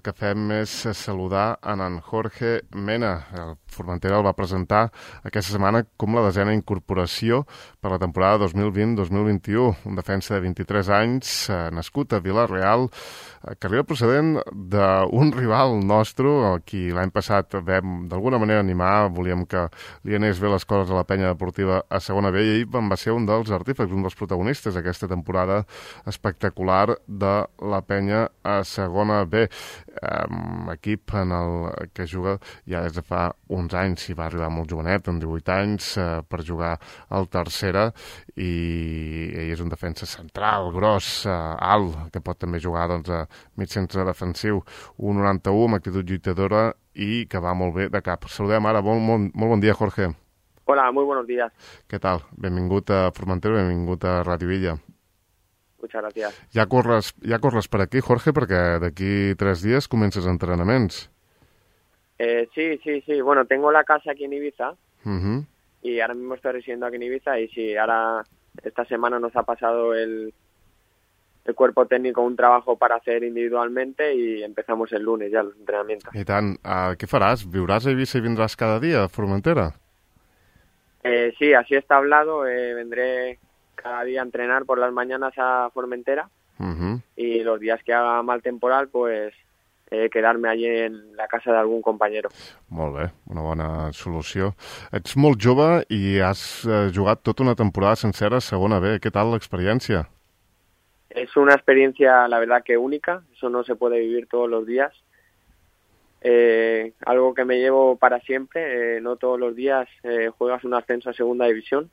el que fem és saludar en Jorge Mena. El Formentera el va presentar aquesta setmana com la 10a incorporació per la temporada 2020-2021. Un defensa de 23 anys, nascut a Vila-real, que arriba procedent d'un rival nostre, a qui l'any passat vam d'alguna manera animar, volíem que li anés bé les coses a la penya deportiva a segona B, i ell va ser un dels artífecs, un dels protagonistes d'aquesta temporada espectacular de la penya a segona B. Equip en el que juga ja des de fa uns anys, i va arribar molt jovenet, amb 18 anys, per jugar al tercera, i ell és un defensa central, gros, alt, que pot també jugar a mig centre defensiu, 1,91, amb actitud lluitadora i que va molt bé de cap. Saludem ara, molt bon dia, Jorge. Hola, muy buenos días. Què tal? Benvingut a Formentera, benvingut a Ràdio Illa. Muchas gracias. Ja corres per aquí, Jorge, perquè d'aquí 3 dies comences entrenaments. Sí. Bueno, tengo la casa aquí en Ibiza Y ahora mismo estoy residiendo aquí en Ibiza y sí, ahora esta semana nos ha pasado el cuerpo técnico un trabajo para hacer individualmente y empezamos el lunes ya los entrenamientos. I tant. Què faràs? Viuràs a Ibiza i vindràs cada dia a Formentera? Sí, así está hablado. Vendré cada día a entrenar por las mañanas a Formentera y los días que haga mal temporal, pues quedarme allí en la casa de algún compañero. Molt bé, una bona solució. Ets molt jove i has jugat tota una temporada sencera a segona B. Què tal l'experiència? Es una experiencia, la verdad, que única. Eso no se puede vivir todos los días. Algo que me llevo para siempre. No todos los días juegas un ascenso a segunda división.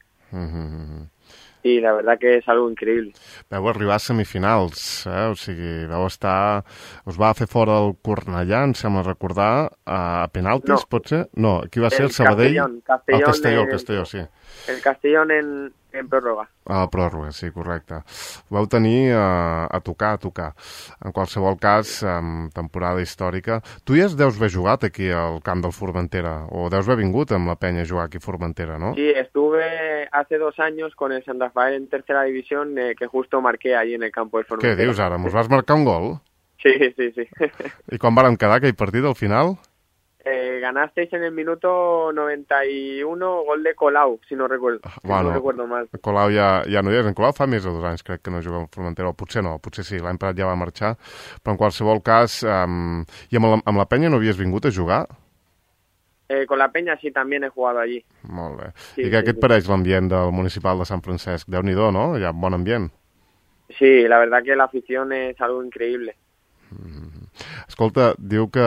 I la verdad que és algo increïble. Vau arribar a semifinals, o sigui, us va fer fora el Cornellà, em sembla recordar, a penaltis, no. Pot ser? No, aquí va ser el Sabadell. Castelló, sí. El Castellón en pròrroga. A la pròrroga, sí, correcte. Vau tenir a tocar. En qualsevol cas, temporada històrica. Tu ja deus haver jugat aquí al camp del Formentera, o deus haver vingut amb la penya a jugar aquí a Formentera, ¿no? Sí, estuve hace 2 años con el San Rafael en tercera división, que justo marqué allí en el campo del Formentera. Què dius ara? Mos vas marcar un gol? Sí. I com vàrem quedar aquell partit al final? Ganasteis en el minuto 91, gol de Colau, si no recuerdo, no recuerdo mal. Colau ja no hi és. En Colau fa més de 2 anys, crec que no juga al Formentera, o potser no, potser sí, l'any passat ja va marxar, però en qualsevol cas, i amb la penya no havies vingut a jugar? Con la Peña sí, también he jugado allí. Molt bé. Sí, I què et pareix l'ambient del municipal de Sant Francesc? Déu-n'hi-do, no? Hi ha bon ambient. Sí, la verdad que la afición es algo increíble. Escolta, diu que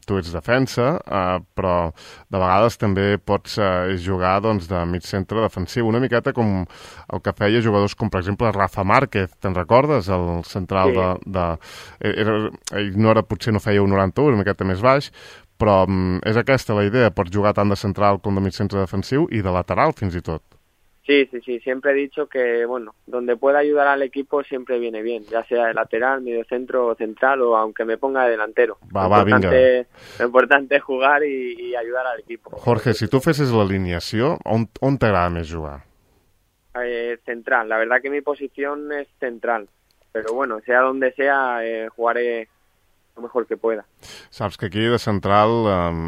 tu ets defensa, però de vegades també pots jugar de mig centre defensiu, una miqueta com el que feia jugadors com, per exemple, Rafa Márquez, te'n recordes? El central potser no feia un 91, una miqueta més baix, però és aquesta la idea, pots jugar tant de central com de mig centre defensiu i de lateral fins i tot. Sí, siempre he dicho que, bueno, donde pueda ayudar al equipo siempre viene bien, ya sea de lateral, mediocentro o central, o aunque me ponga de delantero. Vinga. Lo importante es jugar y ayudar al equipo. Jorge, si tu fessis l'alineació, on t'agrada més jugar? Central, la verdad que mi posición es central, pero bueno, sea donde sea, jugaré lo mejor que pueda. Saps que aquí de central,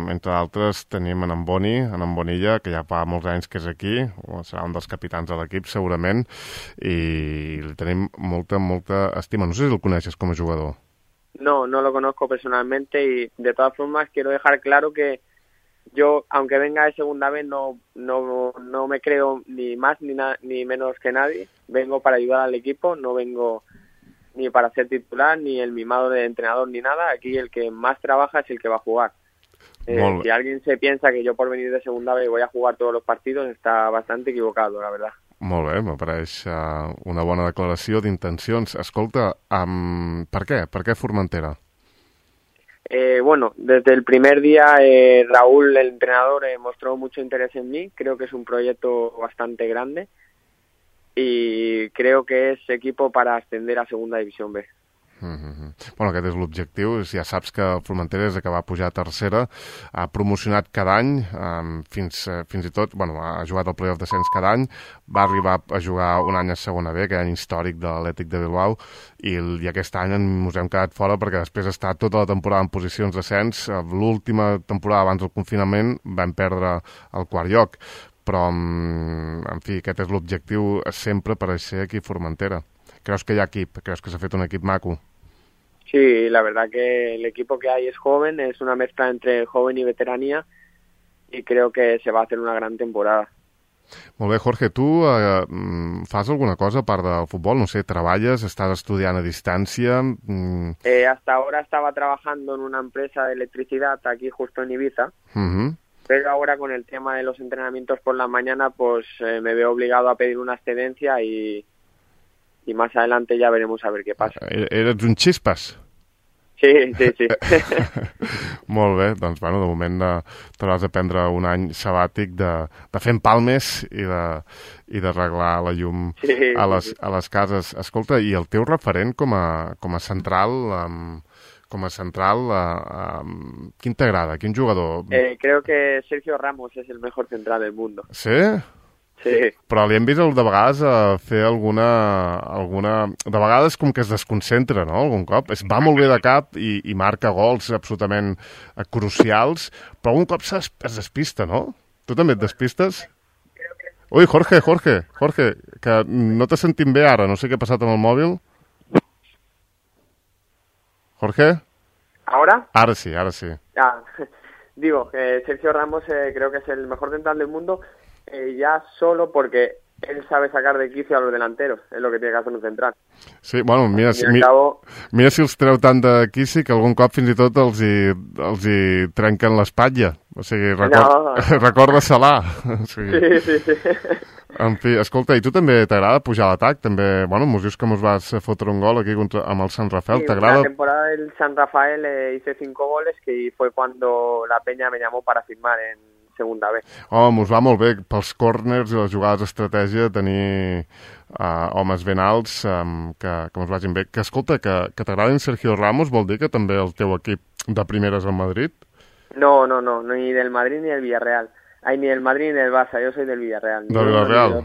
entre d'altres, tenim en Bonilla, que ja fa molts anys que és aquí, serà un dels capitans de l'equip segurament, i li tenim molta estima. No sé si el coneixes com a jugador. No lo conozco personalmente y de todas formas quiero dejar claro que yo, aunque venga de segunda vez, no me creo ni más ni menos que nadie. Vengo para ayudar al equipo, no vengo ni para ser titular, ni el mimado de entrenador, ni nada. Aquí el que más trabaja es el que va a jugar. Si alguien se piensa que yo por venir de segunda vez voy a jugar todos los partidos, está bastante equivocado, la verdad. Molt bé, me pareix una bona declaració d'intencions. Escolta, per què? Per què Formentera? Bueno, desde el primer día Raúl, el entrenador, mostró mucho interés en mí. Creo que es un proyecto bastante grande y creo que es equipo para ascender a Segunda División B. Bueno, aquest és l'objectiu. Ja saps que el Formentera, des que va pujar a tercera, ha promocionat cada any, fins i tot, bueno, ha jugat al playoff d'ascens cada any, va arribar a jugar un any a segona B, aquell any històric de l'Atlètic de Bilbao, i aquest any ens hem quedat fora perquè després d'estar tota la temporada en posicions d'ascens, l'última temporada abans del confinament vam perdre el quart lloc. Però, en fi, aquest és l'objectiu sempre per ser aquí a Formentera. ¿Crees que hay equip? ¿Crees que se ha fet un equip maco? Sí, la verdad que el equipo que hay es joven, es una mezcla entre joven y veteranía y creo que se va a hacer una gran temporada. Molt bé, Jorge, tu fas alguna cosa a part del futbol? No sé, treballes, estàs estudiant a distància? Hasta ahora estaba trabajando en una empresa de electricidad aquí justo en Ibiza, pero ahora con el tema de los entrenamientos por la mañana pues me veo obligado a pedir una excedencia y más adelante ya veremos a ver qué pasa. Eres un xispes? Sí. Molt bé, doncs, bueno, de moment t'hauràs de prendre un any sabàtic de fer empalmes i d'arreglar la llum a les cases. Escolta, i el teu referent com a central, quin t'agrada? Quin jugador? Creo que Sergio Ramos es el mejor central del mundo. Sí? Sí. Però li hem vist de vegades fer alguna... De vegades com que es desconcentra, no?, algun cop. Va molt bé de cap i marca gols absolutament crucials, però algun cop es despista, no? Tu també et despistes? Ui, Jorge, que no te sentim bé ara. No sé què ha passat amb el mòbil. Jorge? ¿Ahora? Ara sí. Digo, que Sergio Ramos creo que es el mejor central del mundo, ya solo porque él sabe sacar de quicio a los delanteros, es lo que tiene que hacer un central. Sí, bueno, mira si els treu tant de quici que algun cop fins i tot els hi trenquen l'espatlla. O sigui, recorda Salà. Sí. En fi, escolta, i tu també t'agrada pujar a l'atac? També, bueno, mos dius que mos vas fotre un gol aquí amb el Sant Rafael, sí, t'agrada? La temporada del Sant Rafael hice 5 goles, que fue cuando la Peña me llamó para firmar en segunda B. Mos va molt bé pels córners i les jugades d'estratègia tenir homes ben alts que mos vagin bé. Que escolta, que t'agradin Sergio Ramos vol dir que també el teu equip de primeres al Madrid? No, ni del Madrid ni del Villarreal. Ai, ni del Madrid ni del Barça, jo soy del Villarreal. Del Villarreal?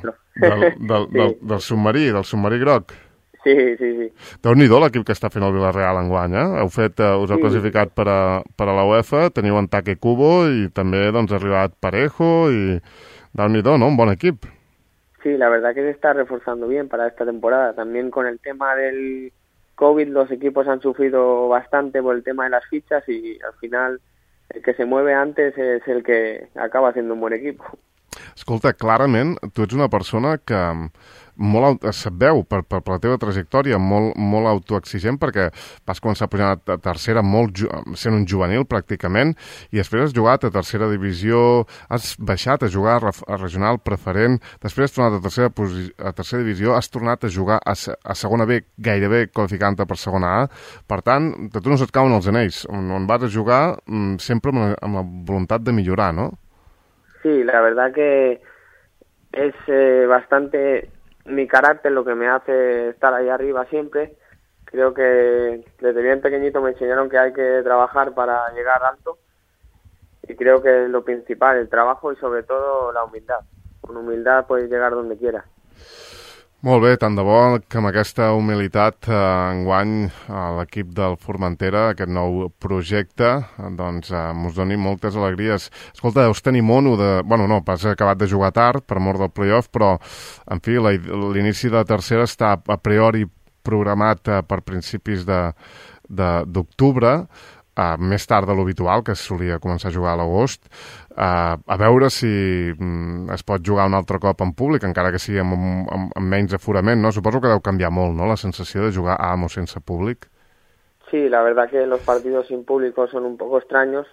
Del submarí groc? Sí. Déu-n'hi-do l'equip que està fent el Villarreal enguany, us heu classificat per a la UEFA, teniu en Take Kubo i també doncs, ha arribat Parejo i déu-n'hi-do, ¿no? Un bon equip. Sí, la verdad que se está reforzando bien para esta temporada. También con el tema del COVID los equipos han sufrido bastante por el tema de las fichas y al final el que se mueve antes es el que acaba siendo un buen equipo. Escolta, clarament, tu ets una persona que se't veu per la teva trajectòria molt autoexigent, perquè vas començar pujant a tercera sent un juvenil pràcticament i després has jugat a tercera divisió, has baixat a jugar a regional preferent, després has tornat a tercera divisió, has tornat a jugar a segona B, gairebé qualificant-te per segona A. Per tant, a tu no se't cauen els anells, on vas a jugar sempre amb la voluntat de millorar, no? Sí, la verdad que es bastante mi carácter lo que me hace estar ahí arriba siempre. Creo que desde bien pequeñito me enseñaron que hay que trabajar para llegar alto y creo que es lo principal, el trabajo y sobre todo la humildad. Con humildad puedes llegar donde quieras. Molt bé, tant de bo que amb aquesta humilitat enguany l'equip del Formentera, aquest nou projecte, doncs mos doni moltes alegries. Escolta, deus tenir mono de... Bueno, no, has acabat de jugar tard per mort del playoff, però, en fi, l'inici de la tercera està a priori programat per principis d'octubre, més tard de l'habitual, que es solia començar a jugar a l'agost, a veure si es pot jugar un altre cop en públic, encara que sigui amb menys aforament, ¿no? Suposo que deu canviar molt, ¿no?, la sensació de jugar amb o sense públic. Sí, la verdad que los partidos sin público son un poco extraños,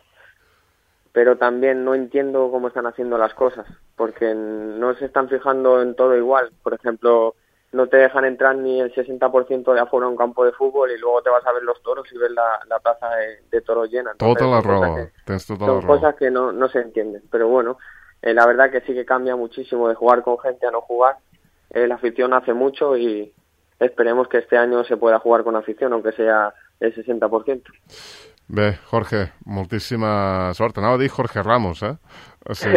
pero también no entiendo cómo están haciendo las cosas, porque no se están fijando en todo igual. Por ejemplo, no te dejan entrar ni el 60% de afuera a un campo de fútbol y luego te vas a ver los toros y ves la plaza de toros llena. Entonces, tota la raó, tens tota la raó. Son cosas que no se entienden, pero bueno, la verdad que sí que cambia muchísimo de jugar con gente a no jugar. La afición hace mucho y esperemos que este año se pueda jugar con afición, aunque sea el 60%. Bé, Jorge, moltíssima sort. Anava a dir Jorge Ramos, O sigui,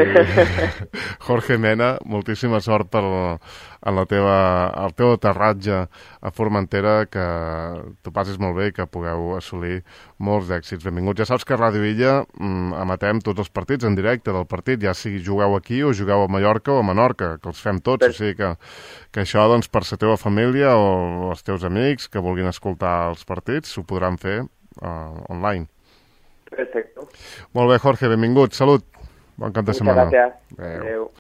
Jorge Mena, moltíssima sort en el teu aterratge a Formentera, que t'ho passis molt bé i que pugueu assolir molts d'èxits. Benvinguts. Ja saps que a Ràdio Illa emetem tots els partits en directe del partit, ja sigui jugueu aquí o jugueu a Mallorca o a Menorca, que els fem tots, o sigui que això, doncs, per la teva família o els teus amics que vulguin escoltar els partits, ho podran fer online. Perfecto. Molt bé, Jorge, benvingut. Salut. Bon cap de setmana. Muchas gracias. Adeu.